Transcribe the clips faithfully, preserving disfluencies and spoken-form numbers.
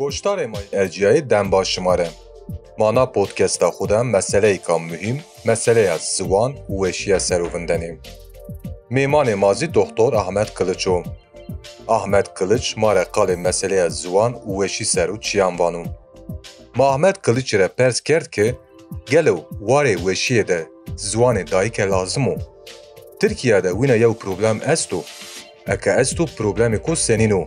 Goştarê ma yê erciyayê dem baş şima re. Ma na podcasta xwe de meseleyêka muhîm, meseleya ziwan û weşiya serovindenê. Mêmanê ma zî Doktor Ahmet Kılıç o. Ahmet Kılıç ma re qalê meseleya ziwan û weşî ser û çiyan vano. Ma Ahmet Kılıç re pers kerd ki, gelo warê weşiyê de ziwanê dayike lazim o? Tirkiye de wîna yew problem esto? Eke esto, problemê ku senîn o?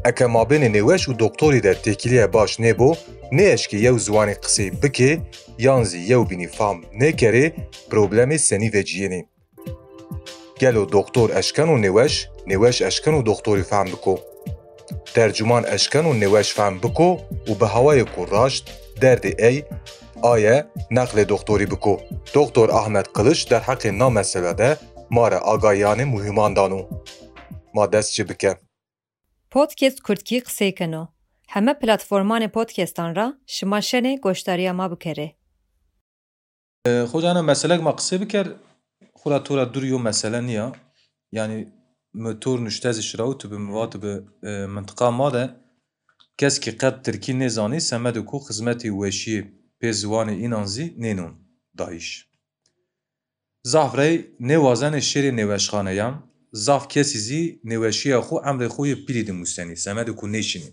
Eke mabênê nêweş û doktorî de têkiliyê baş nêbo, nêeşkê yew ziwanê qisê bikê, yan zî yew bînî fam nêkerê, problemê senî veciyênê? Gelo doktor eşkeno nêweş, nêweş eşkeno doktorî fehm biko? Tercuman eşkeno nêweş fehm biko û bi hawayê ku raşt derdê ey aye neqlê doktorî biko? Doktor Ahmet Kılıç derheqê na mesele de ma re agahiyanê muhîman dano. Ma dest çi bike. Podcast Kurdkî qisey keno. Heme platformanê podcastan ra şima şenê goşdariya ma bikerê. Xoca, ena meselek ma qisê biker, xura tora dûr yo mesele niya. Yanî mi tor nuşte zî şiraw tu bi mi vat bi, e, mintiqa ma de kes ki qet tirkî nêzanî, semedê ku xizmetê weşiyê pê ziwanê înan zî nênon dayîş. Zaf rey nêwazenê şêrê nêweşxaneyan, zaf kesî zî nêweşiya xwe emrê xwe yê pîlî dimûsenî, semedê ku nêşinî.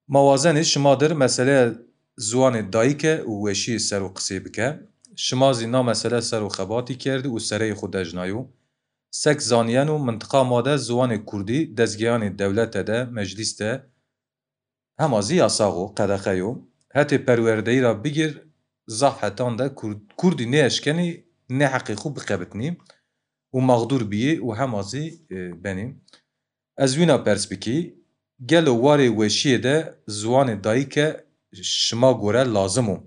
Ma wazenê şima dir meseleya ziwanê dayike û weşiyê ser û qisê bike. Şima zî na mesele ser û xebatî kerdî û sereyê xwe dejnayo. Sek zaniyeno mintiqa ma de ziwanê kurdî dezgeyanê dewlete de, meclîs de, hema zî yasax o, qedexe yo. Hetê perwerdeyî ra bigir zaf hetan de kurd-, kurdî nêeşkenî nê heqê xwe biqebitnî û mexdûr biyê û hema zî, e, benî. Ez wîna pers bikî, gelo warê weşiyê de ziwanê dayike şima gore lazim o?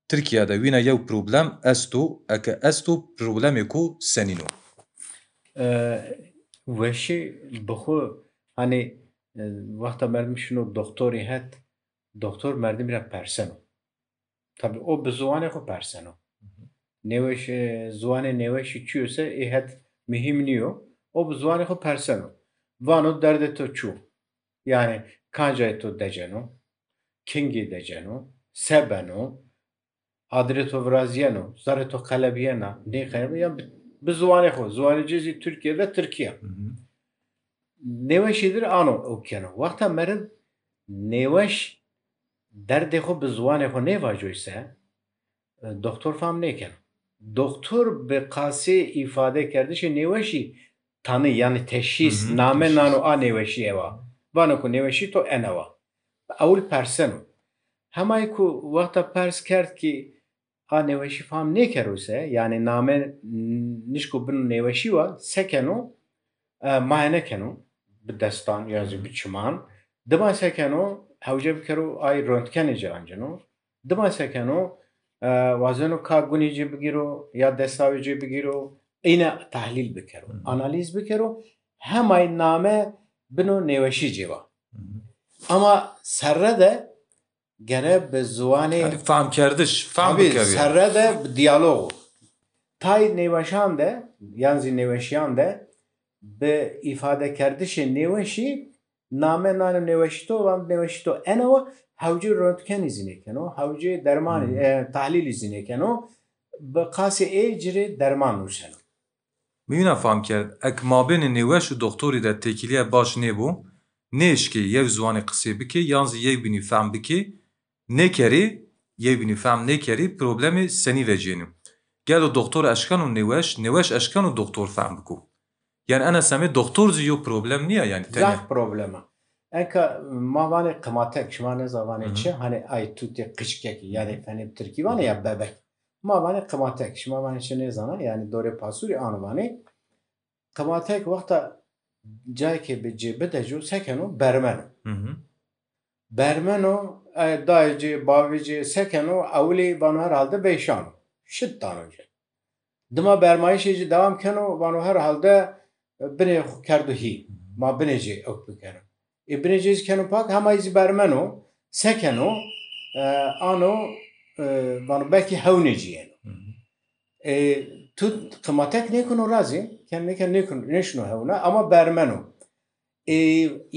Tirkiye de wîna yew problem esto, eke esto, problemê ku senîn o? E, weşî bi xwe, hanî, e, wexta merdim şino doktorî het, doktor merdimî re perseno. Tabî o bi ziwanê xwe perseno. Nêweş, e, ziwanê nêweşî çi yo se ê het muhîm nîyo. O bi ziwanê xwe perseno. Vano derdê to çi yo? Yanî kancayê to deceno, kingî deceno, se beno, adirê to viraziyeno, zarê to qelebiyena, nêqelebiyena, yan bi, bi ziwanê xwe, ziwanê cê zî Tirkiye de tirkî ye. Nêweşî dir ano ew keno. Wexta meriv nêweş derdê xwe bi ziwanê xwe nêvacoyse, e, doktor fam nêkeno. Doktor bi qasê îfade kerdişê nêweşî tanî, yanî teşhîs, name nano a nêweşî ewa. Vano ku nêweşî to enewa. Ewil perseno. Hemayê ku wexta pers kerd ki a nêweşî fam nêkero se, yanî name nişko bin nêweşî wa, se keno, e, maye nekeno, bi destan ya zî bi çiman. Dima se keno, hewce bikero ay röntgenê cê anceno. Dima se keno, e, wazeno ka gunê cê bigîro ya destawê cê bigîro, îne tahlîl bikero, analîz bikero, hemayê name bino nêweşî cê wa. Ama serre de gere bi ziwanê, yanî fehmkerdiş, fehm bikeve. Serre de bi diyalog. Tay nêweşan de, yan zî nêweşiyan de bi îfadekerdişê nêweşî name nano nêweşî to, van nêweşî to enewa, hewcê röntgenî zî nêkeno, hewcê dermanî, e, tahlîlî zî nêkeno, bi qasê ê cirê derman nûseno. Min wîna fam kerd, ek mabênê nêweş û doxtorî de têkiliyê baş nêbo, nêşkê yew ziwanê qisê bikê, yan zî yew bînî fehm bikê, nêkerê, yew bînî fehm nêkerê, problemê senî veciyênê? Gelo doxtor eşkeno nêweş, nêweş eşkeno doxtor fehm biko? Yanî ena semê doxtor zî yo problem nîya, yanî tenê. Zaf problem e. Enka ma vanê qimatek, şima nêza vanê çi, hanê ay tutê qiçkekî, yanî fenê tirkî vanê ya bebek. Ma vanê qimatek, şima vanê çi nêzana, yanî dorê pasûrî ano vanê. Qimatek wexta cayekê bi cê bideco, sekeno, bermeno. Bermeno, e, dayê cê, bavê cê sekeno, ewilî vano herhalde veyşano. Şit dano cê. Dima bermayişê cê dewam keno, vano herhalde, e, binê xwe kerdo hî. Ma binê cê ewk bikeno. Ê binê cê zî keno pak, hema zî bermeno, sekeno, e, ano, e, vano belkî hewnê cî yeno. E, tu qimatek nêkeno razî, ken nêken nêkeno, nêşino hewna, ama bermeno. Ê,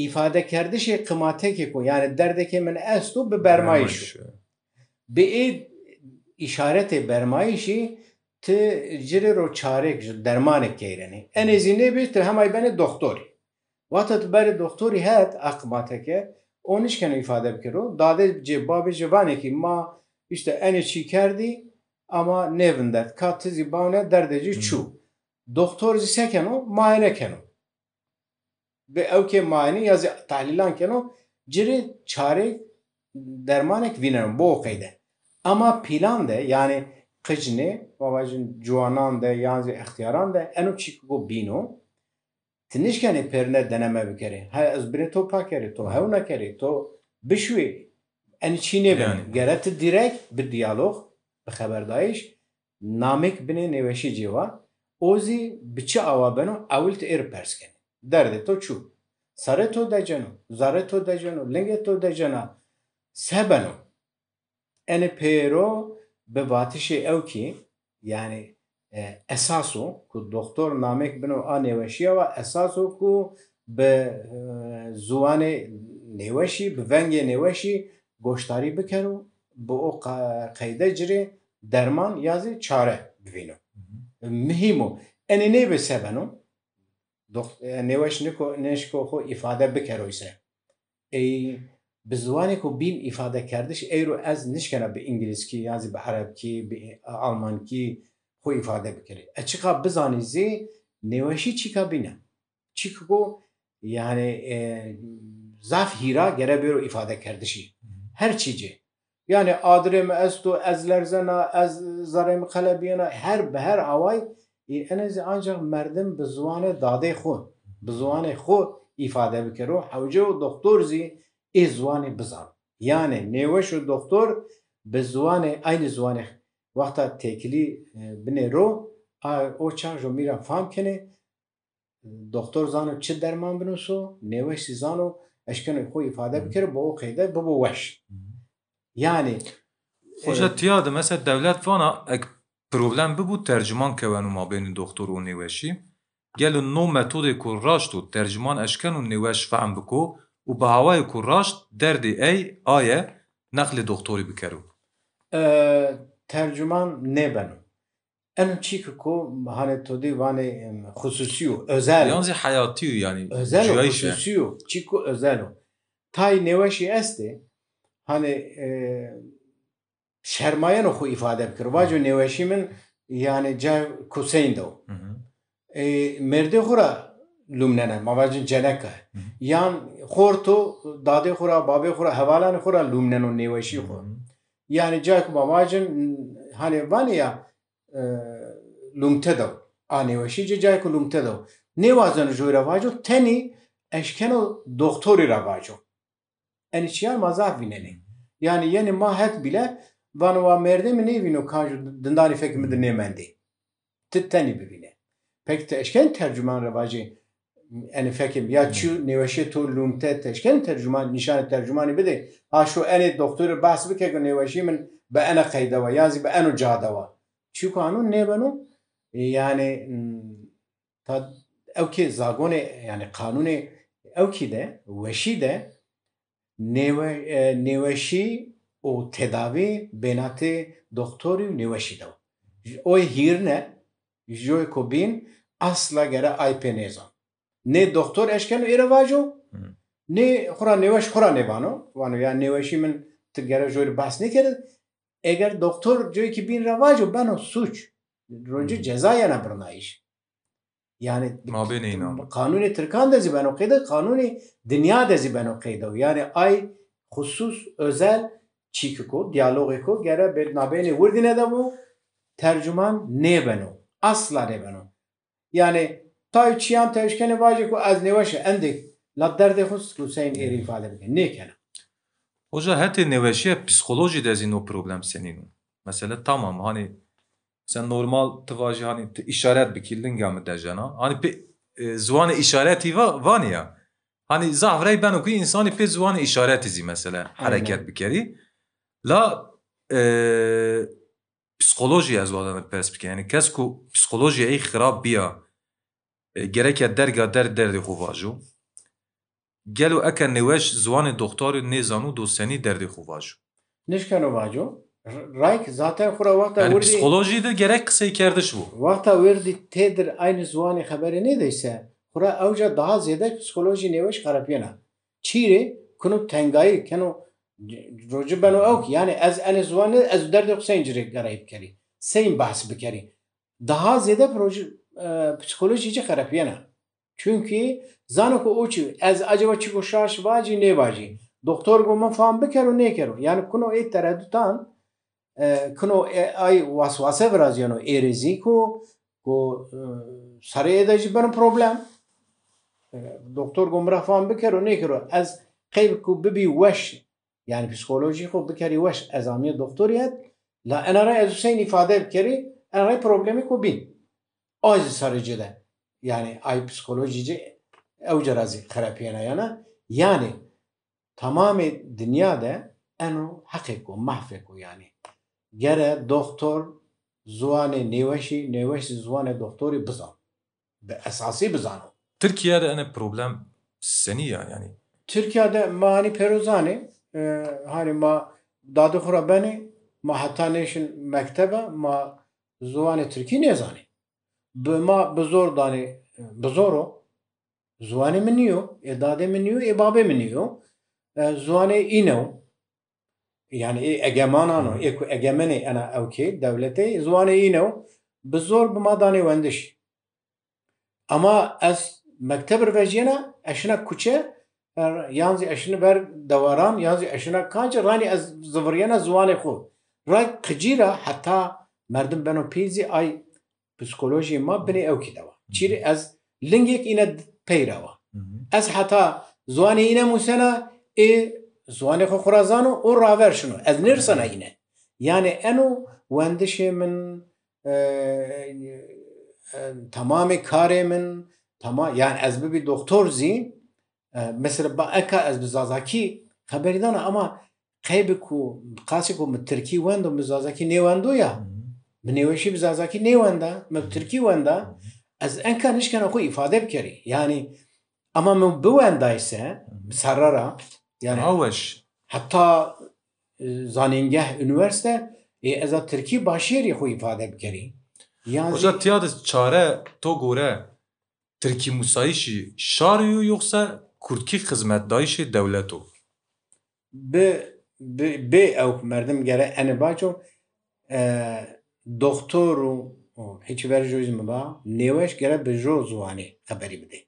îfadekerdişê qimatekê ku, yani derdekê min esto bi bermayîş. Bi ê îşaretê bermayîşî ti ci rê ro çarek ji dermanek keyrenê. Enê zî nêbê ti hemay benê doktorî. Wata tu berê doktorî het a qimateke, o nişkeno îfade bikero. Dadê cê babê cê vanekî ma işte enê çî kerdî ama nêvindert. Ka ti zî bawne derdê cî çû. Doktor zî sekeno, muayene keno. Bi ewkê muayene ya zî tehlîlan keno, ci rê çarê dermanek vîneno, bo o qeyde. Ama pîlan de, yani qicnê, ma vajin ciwanan de, yan zî extiyaran de, eno çî ku bîno, ti nişkenê pêrine deneme bikerê. He, ez binê to pakerê, to hew nekerê, to bişwê, enî çî nêbin. Yani. Gere ti direkt bi diyalog, bi xeberdayîş, namêk binê nêweşî cêwa, o zî bi çi awa beno, ewil ti êr pers kenê. Derdê to çû? Serê to deceno, zarê to deceno, lingê to decena, se beno? Enê pêro bi vatişê ewkî, yani, e, esas o ku doktor namêk bino a nêweşiya wa, esas o ku bi, e, ziwanê nêweşî, bi vengê nêweşî goşdarî bikero, bi o qa-, qeyde ci rê derman ya zî çare bivîno. Muhîm o. Enê nêbe se beno? Dox-, e, nêweş niko-, nêşko xwe îfade bikero îse. Ey, bi ziwanê ku bîn îfadekerdiş, eyro ez nişkena bi îngilîzkî, yan zî bi erebkî, bi almankî xwe îfade bikerî. E, çiqa bizanî zî nêweşî çîka bîne. Çîku ku, yani, e, zaf hîra gere bêro îfadekerdişî. Her çî cê. Yani adirê mi esto, ez lerzena, ez zarê mi qelebiyena, her, bi her away, e, enê zî ancak merdim bi ziwanê dadê xwe, bi ziwanê xwe îfade bikero, hewce û doktor zî ê ziwanê bizan. Yani nêweş û doktor bi ziwanê, aynî ziwanê wexta têkilî, e, binê ro, a, o çax jo mîra fam kenê, doktor zano çi derman binûso, nêweş zî zano eşkeno xwe îfade bikero, bi o qeyde bibo weş. Yani, Hoca, e, tiya de mesela dewlet vana ek problem bibû, tercüman keweno mabênê doktor û nêweşî. Gelo no metodê ku raşt û tercüman eşkeno nêweş fehm biko û bi hawayê ku raşt derdê ey aye neqlê doktorî bikero? E, tercüman nêbeno. Eno çî ki ku hanê to dî vanê, em, xususî yo, özel. Yan zî heyatî yo yani. Özel o, cuyayîş e. Xususî yo. Çî ku özel o. Tay nêweşî estê, hanê, e, şermayeno xwe îfade bikir. Vaco nêweşî min, yani, ca Kuseyn de o. E, mêrdê xwe ra lûmnene, ma vacin ceneka. Yan xorto, dadê xwe ra, babê xwe ra, hevalanê xwe ra lûmneno nêweşî xwe. Yani, ca ku ma vacin, hanê vanê ya, e, lûmte de o. A nêweşî cê cayê ku lûmte de o. Nêwazeno joy ra vaco, tenî eşkeno doktorî ra vaco. Enî çiyan ma zaf vînenê. Yani yenê ma het bîle, vano wa mêrdê mi nêvîno kan ju dindanî fekê mi di nêmendê. Ti tenî bivîne. Peki ti eşkenî tercüman re vajê, enî fekê mi ya çi nêweşê to lûmte, ti eşkenî tercüman, nîşanê tercümanî bidê. Ha şo enê doktorê behs bike ku nêweşî min bi ene qeyde wa, yan zî bi eno ca de wa. Çîku anûn nêbeno, yani, m, ta ewkê zagonê, yani qanûnê ewkî de, weşî de, nêwe-, e, nêweşî û tedavî bênatê doktorî û nêweşî de. Oy hîrine, joy ku bîn, asla gere ay pê nêzan. Nê doktor eşkeno êre vaco, nê xura nêweş xura nêvano. Vano ya nêweşî min ti gere joy re behs nêkere. Eger doktor coyekî bîn re vaco beno sûc. Roncê ceza yena birnayîş. Yani mabênê înan. Qanûnê Tirkan de zî beno qeyde, qanûnê dinya de zî beno qeyde. Yani ay xusus, özel çîkiko, diyalogêko gere bê nabênê wirdîne de bû, tercüman nêbeno. Asla nêbeno. Yani, tay çiyan te eşkenê vajê ku ez nêweş e, endê la derdê xwe Hüseyin êrî îfade bike. Nêkene. Hoca, hetê nêweşiye psîkolojî de zî no problem senîn o. Mesela tamam, hani sen normal ti vajî, hani ti îşaret bikî, linga mi decena. Hani pê, e, ziwanê îşaretî va-, vanî ya. Hani zaf rey beno ku însanî pê ziwanê îşaretî zî mesela hereket bikerî. La, e, psîkolojî ez wazana pers bikim. Yani kes ku psîkolojîya ey xirab biya, e, gereke derga der derdê xwe vajo. Gelo eke nêweş ziwanê doxtorê nêzano do senî derdê xwe vajo? Nişkeno vaco. Rayk zaten xura wexta Yani wirdî psîkolojî de gerek qiseykerdiş bû. Wexta wirdî têdir aynî ziwanê xeberê nêdeyse, xura ewca daha zêde psîkolojî nêweş xerepiyena. Çîrê kino tengayî, keno roci beno ew ki, yani ez enê ziwanê, ez derdê xwe seyîn cirê gerayî bikerî. Seyîn behs bikerî. Daha zêde proji, e, psîkolojî jî xerepiyena. Çunkî zano ku o çi, ez acaba çi ku şaş vacî nêvacî. Doktor ku min fam bikero nêkero. Yani kuno ê teredutan, e, kuno ê, ay waswase viraziyano êrê zî ku, ku, e, serê ê de jî beno problem. E, doktor ku min re fam bikero nêkero. Ez qey ku bibî weş, yani psîkolojî xwe bikerî weş, ez amiyê doktoriyet, la ena re ez Hüseyin îfade bikerî, ena re problemê ku bîn. Ay zî serê ci de. Yani ay psîkolojî ci ew cara zî xerepiyena yana. Yani tamamê dinya de eno heqê ku, mahfê ku yani. Gere doktor ziwanê nêweşî, nêweş zî ziwanê doktorî bizan. Bi esasî bizano. Tirkiye de ene problem senî ya yani? Tirkiye de ma hanî pêro zanê, e, hanî ma dadê xwe re benê, ma heta nêşin mektebe, ma ziwanê tirkî nêzanê. Bi ma bi zor danê, bi zor o. Ziwanê min nîyo, ê dadê min nîyo, ê babê min nîyo. E, ziwanê îne o. Yani ê egemanan o, ê ku egemenê ena ewkê, dewletê, ziwanê îne o. Bi zor bi ma danê wendiş. Ama ez mekteb re vejiyena, ez şina kuçe, er, yan zî ez şina ber dewaran, yan zî ez şina kancî, ranî ez ziviriyena ziwanê xwe. Ray qicî ra heta merdim beno pîl zî ay psîkolojiyê ma binê ewkî de wa. Çîrê ez lingêk îne peyra wa. Ez heta ziwanê îne musena, ê ziwanê xwe xwe ra zano û raver şino. Ez nêrsena îne. Yani eno wendişê min, e, e, temamê karê min, tema-, yani ez bibî doktor zî, e, mesela ba eka ez bi zazakî xeberî dana, ama qey bi ku, qasî ku min tirkî wendo, min zazakî nêwendo ya, min nêweşî bi zazakî nêwenda, min bi tirkî wenda, ez enka nişkena xwe îfade bikerî. Yani, ama min biwendayse, bi serre ra, yani, Aweş. Heta, e, zanîngeh, unîversîte, ê, ez a tirkî başêrî xwe îfade bikerî. Yan Hoca, zî tiya de çare to gore tirkî musayîşî şarî yo yoxsa kurdkî xizmetdayîşê dewlet o? Bi, bi, bê ew merdim gere ene baco, e, doktor û, û hiç ver jo zî min ba, nêweş gere bi jo ziwanê xeberî bidê.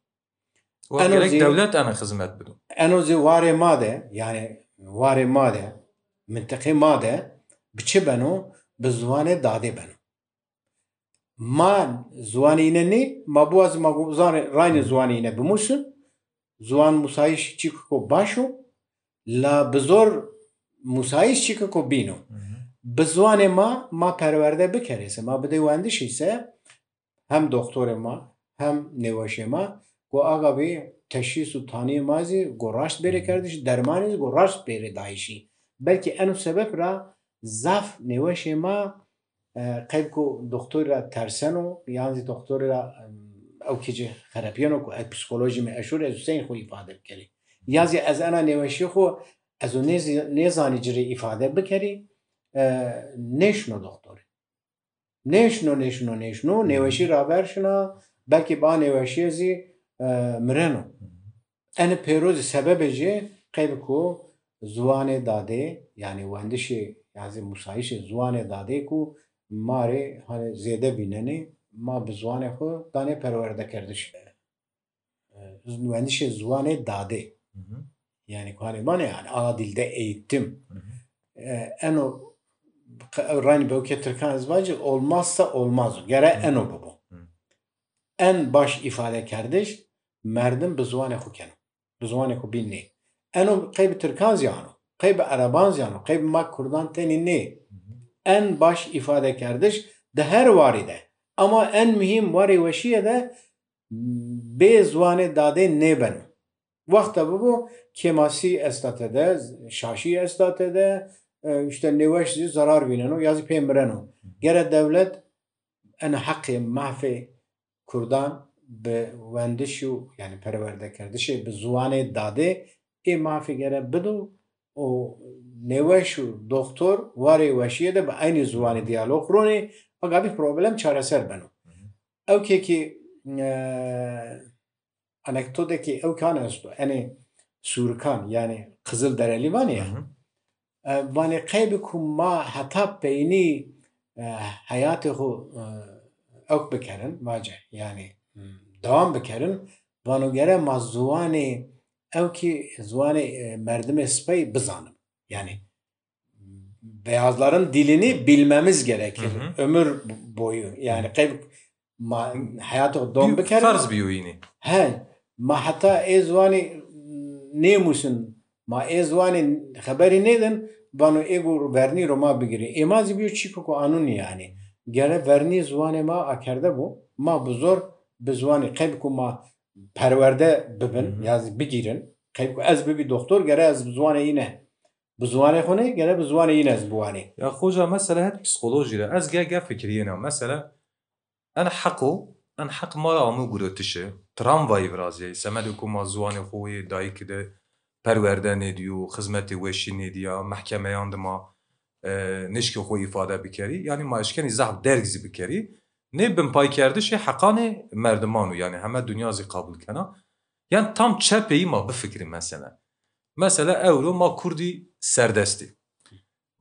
Wa Eno gerek zî- dewlet ene xizmet bido. Eno zî warê ma de, yani warê ma de, mintiqê ma de, bi çi beno? Bi ziwanê dadê beno. Ma ziwanê îne nê, ma biwazî ma gu-, zanê, raynê ziwanê îne bimusin, ziwan musayîş çîkiko baş o, la bi zor musayîş çîkiko bîn o. Bi ziwanê ma, ma perwerde bikerê se, ma bidê wendişî se, hem doktorê ma, hem nêweşê ma, ku aga bî teşhîs û taniyê ma zî ku raşt bêrê kerdiş, dermanê zî ku raşt bêrê dayişî. Belkî eno sebeb ra zaf nêweşê ma, e, qey ku doktorî ra terseno, yan zî doktorî ra, em, ew kî ci xerepiyeno ku ez psîkolojî me eşûr, ez Hüseyin xwe îfade bikerî. Ya zî ez ena nêweşî xwe, ez û nêzî-, nêzanî ci rê îfade bikerî, e, nêşino doktorî. Nêşino, nêşino, nêşino, nêweşî raver şina, belkî ba nêweşiyê zî, e, mireno. Ene pêro zî sebebê jê qey bi ku ziwanê dadê, yanî wendişê, ya zî musayîşê ziwanê dadê ku ma rê, hani, zêde bînenê, ma bi ziwanê xwe danê perwerdekerdiş. E, wendişê ziwanê dadê. Hı hı. Yani, ku hanê mane, yani, ana dilde eğitim. Hı hı. E, eno, qe-, ew raynî bewkê Tirkan ez vacî, olmazsa olmaz o. Gere Hı hı. eno bibo. Hı. En baş îfadekerdiş, merdim bi ziwanê xwe keno. Bi ziwanê xwe bîn nê. Eno qey bi Tirkan zî ano, qey bi Ereban zî ano, qey bi ma Kurdan tenî nê. Hı hı. En baş îfadekerdiş di her warî de. Ama en muhîm warê weşiyê de bê ziwanê dadê nêbeno. Wexta bibo kêmasî esta tede, şaşî esta tede, e, işte nêweş zî zerar vîneno ya zî pê mireno. Gere dewlet ene heqê, mafê Kurdan bi wendiş û, yani perwerdekerdişê bi ziwanê dadê ê mafê gere bido û nêweş û doktor warê weşiyê de bi eynî ziwanê diyalog ronê, agabî problem çareser beno. Ew kekî, e, anekdoteki ew kan esto, enê Sûrikan, yani Qizil Derelî vanê ya. E, vanê qey bi ku ma heta peynî, e, heyatê xwe, e, ewk bikerin, vace, yani, m, dewam bikerin, vano gere ma ziwanê ewkî, ziwanê, e, merdimê spey bizanin. Yani beyazların dilini bilmemiz gerekir. Hı hı. Ömür boyu. Yani qey ma heyatê xwe dom bikerin. Ferz bîyo yînî. He, ma heta ê ziwanê nêmûsin, ma ê ziwanê xeberî nêdin, vano ê ku vernî ro ma bigirî. Ê ma zî bîyo çîko ku anûnî yani. Gere vernî ziwanê ma akerde bû. Ma bi zor bi ziwanê qey ku ma perwerde bibin, Hı hı. ya zî bigîrin. Qey ku ez bibî doktor, gere ez bi ziwanê yîne. Bi ziwanê xwe ne, gere bi ziwanê yîne ez biwanê. Ya xoca mesele het psîkolojî re. Ez ge ge fikiriyêna. Mesele en heqo, en heq ma re amo gurotişe. Tramvayî viraziyayî. Semedê ku ma ziwanê xwe yê dayikî de perwerde nêdiyo, xizmetê weşî nêdiya, mehkemeyan de ma, e, nişkê xwe îfade bikerî. Yani ma eşkenî zehf derg zî bikerî. Nê binpaykerdişê heqanê merdiman û yani heme dinya zî qabûl kena. Yani tam çepeyî ma bifikirî mesele. Mesela ewro ma kurdî serdestî.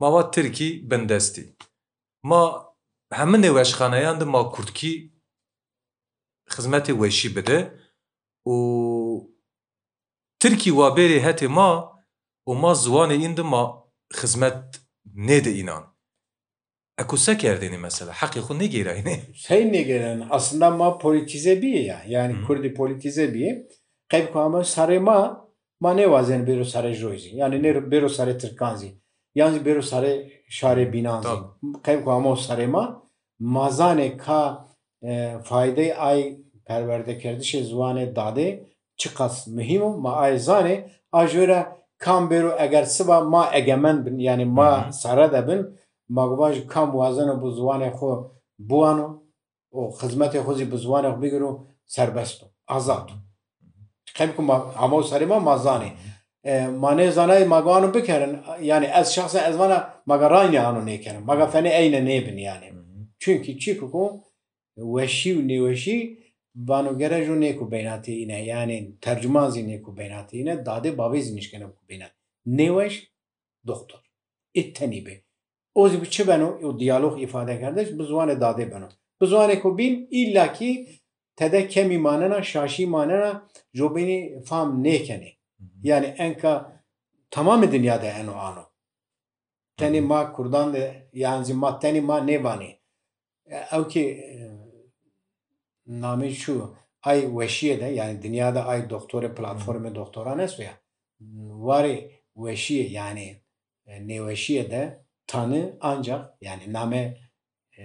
Ma va tirkî bindestî. Ma hemî nêweşxaneyan de ma kurdkî xizmetê weşî bide û tirkî wa bêrê hetê ma û ma ziwanê în de ma xizmet nêde înan. Eko se kerdêne mesela? Heqê xwe nêgêrayne? Sey nêgêrayne. Aslında ma politize bîye ya. Yani Hı. Kurdî politize bîye. Qeyb ku ama sarê ma, ma nêwazên bêro sarê joy zî. Yani ne bêro sarê Tirkan zî. Yan zî bêro sarê şarê bînan zî. Tabii. Qeyb ku ama sarê ma, ma zanê ka, e, faydey ay perwerdekerdişê ziwanê dadê çiqas muhîm o, ma ay zanê, a ji wê re kam bêro eger siba ma egemen bin, yani ma Hı hı. sare de bin, ma guva ji kam wazeno bi ziwanê xwe biwano û xizmetê xwe zî bi ziwanê xwe bigiro, serbest o, azad o. Qeyb ku ma, ama û serê ma, ma zanê. E, ma nê zanayê ma gano bikerin, yani ez şexsen ez vana ma ga raynê ano nêkerin, ma ga fenê eyne nêbin yani. Hı hı. Çünkü çi ku ku weşî û nêweşî vano gere jo nêku beynatê îne, yani tercüman zî nêku beynatê îne, dadê bavê zî nişkene ku beynat. Nêweş doktor. Ê tenî be. O zî bi çi beno? O diyalog îfade kerdiş bi ziwanê dadê beno. Bi ziwanê ku bîn îlla kî tede kemî manena, şaşî manena, jobînî fam nêkenê. Hı hı. Yani enka tamamê dinya de eno ano. Tenê Hı hı. ma Kurdan de, yan zî ma tenê ma nêvanê. E, ew ki, e, namê çû, ay weşiyê de, yani dinya de ay doktorê, Hı hı. platformê doktoran esto ya. Warê weşiyê, yani, e, nêweşiyê de tanı ancak, yani name, e,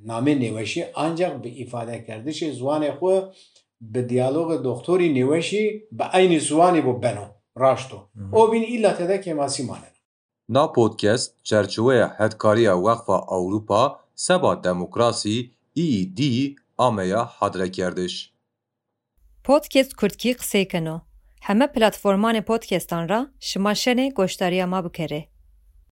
namê nêweşiyê ancak bi îfadekerdişê ziwanê xwe, bi diyalogê doktorî nêweşî, bi eynî ziwanî bo beno, raşt o. Hı hı. O bîn îlla tede kêmasî maneno. Na podcast çerçeweya hedkariya Weqfa Ewropa seba demokrasî, E E D, ameya hadrekerdiş. Podcast Kurdkî qisey keno. Heme platformanê podcastan ra şima şenê goşdariya ma bikerê.